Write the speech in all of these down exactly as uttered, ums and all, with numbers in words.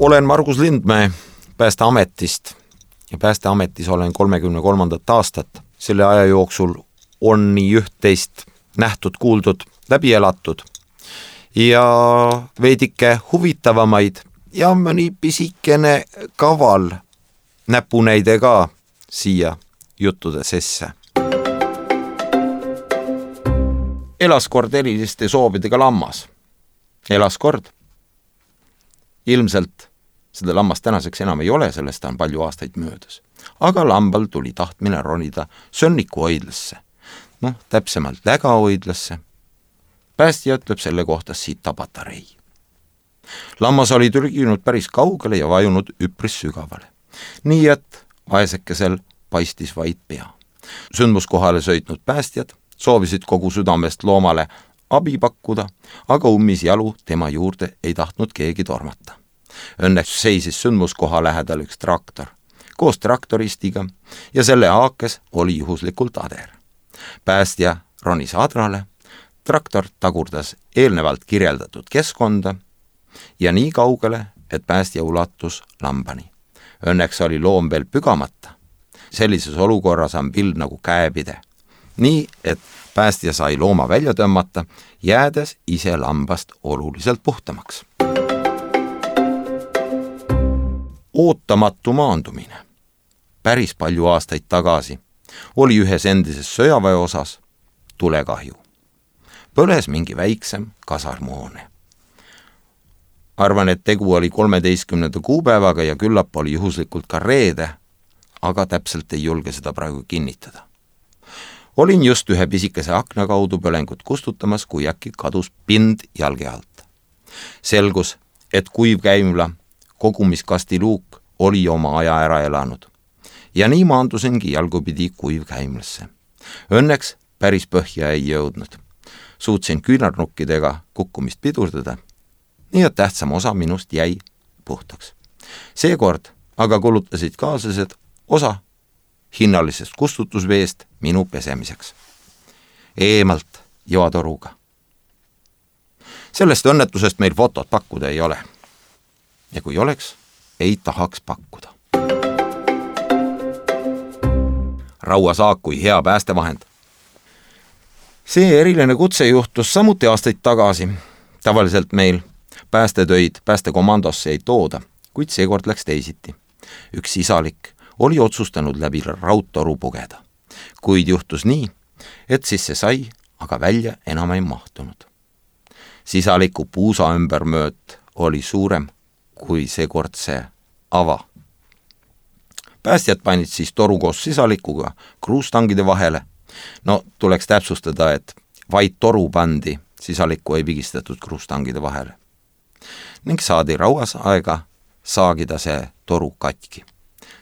Olen Margus Lindmäe Päästeametist ja Päästeametis olen kolmekümne kolmandat aastat. Selle aja jooksul on nii üht-teist nähtud, kuuldud, läbi elatud ja veidike huvitavamaid ja mõni pisikene kaval näpunäide ka siia juttude sesse. Elas kord eriliste soovidega lammas. Elas kord. Ilmselt seda lammast tänaseks enam ei ole, sellest on palju aastaid möödas. Aga lambal tuli tahtmine ronida Sönniku hoidlasse. Noh, täpsemalt Läga hoidlasse. Päästja ütleb selle kohta Sita patarei. Lammas oli türginud päris kaugele ja vajunud üpris sügavale. Nii et vaesekesel paistis vaid pea. Sündmuskohale sõitnud päästjad soovisid kogu südamest loomale abi pakkuda, aga ummis jalu tema juurde ei tahtnud keegi tormata. Õnneks seisis sündmuskoha lähedal üks traktor koos traktoristiga ja selle haakes oli juhuslikult ader. Päästja ronis adrale, traktor tagurdas eelnevalt kirjeldatud keskkonda ja nii kaugele, et päästja ulatus lambani. Õnneks oli loom veel pügamata. Sellises olukorras on pild nagu käepide. Nii, et päästja sai looma välja tõmmata, jäädes ise lambast oluliselt puhtamaks. Ootamatu maandumine. Päris palju aastaid tagasi oli ühes endises sõjaväe osas tulekahju. Põles mingi väiksem kasarmoone. Arvan, et tegu oli kolmeteistkümnenda kuupäevaga ja küllap oli juhuslikult ka reede, aga täpselt ei julge seda praegu kinnitada. Olin just ühe pisikese akna kaudu põlengut kustutamas, kui äkki kadus pind jalge alt. Selgus, et kuivkäimla kogumiskasti luuk oli oma aja ära elanud. Ja nii maandusingi jalgupidi kuivkäimlasse. Õnneks päris põhja ei jõudnud. Suutsin küünarnukkidega kukkumist pidurdada, nii et tähtsam osa minust jäi puhtaks. Seekord aga kulutasid kaaslased osa hinnalisest kustutusveest minu pesemiseks. Eemalt joatoruga. Sellest õnnetusest meil fotot pakkuda ei ole. Ja kui oleks, ei tahaks pakkuda. Rauasaak kui hea päästevahend. See eriline kutse juhtus samuti aastaid tagasi. Tavaliselt meil päästetöid päästekomandosse ei tooda, kuid seekord läks teisiti. Üks sisalik oli otsustanud läbi raudtoru pugeda. Kuid juhtus nii, et sisse sai, aga välja enam ei mahtunud. Sisaliku puusa ümbermööt oli suurem kui seekord see ava. Päästjad panid siis toru koos sisalikuga kruustangide vahele. No tuleks täpsustada, et vaid toru pandi, sisalikku ei pigistatud kruustangide vahele. Ning saadi rauas aega saagida see toru katki.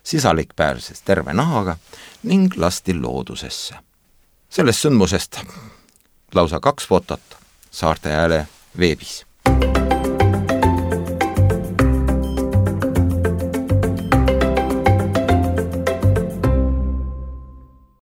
Sisalik pääses terve nahaga ning lasti loodusesse. Sellest sündmusest lausa kaks fotot Saarte Hääle veebis.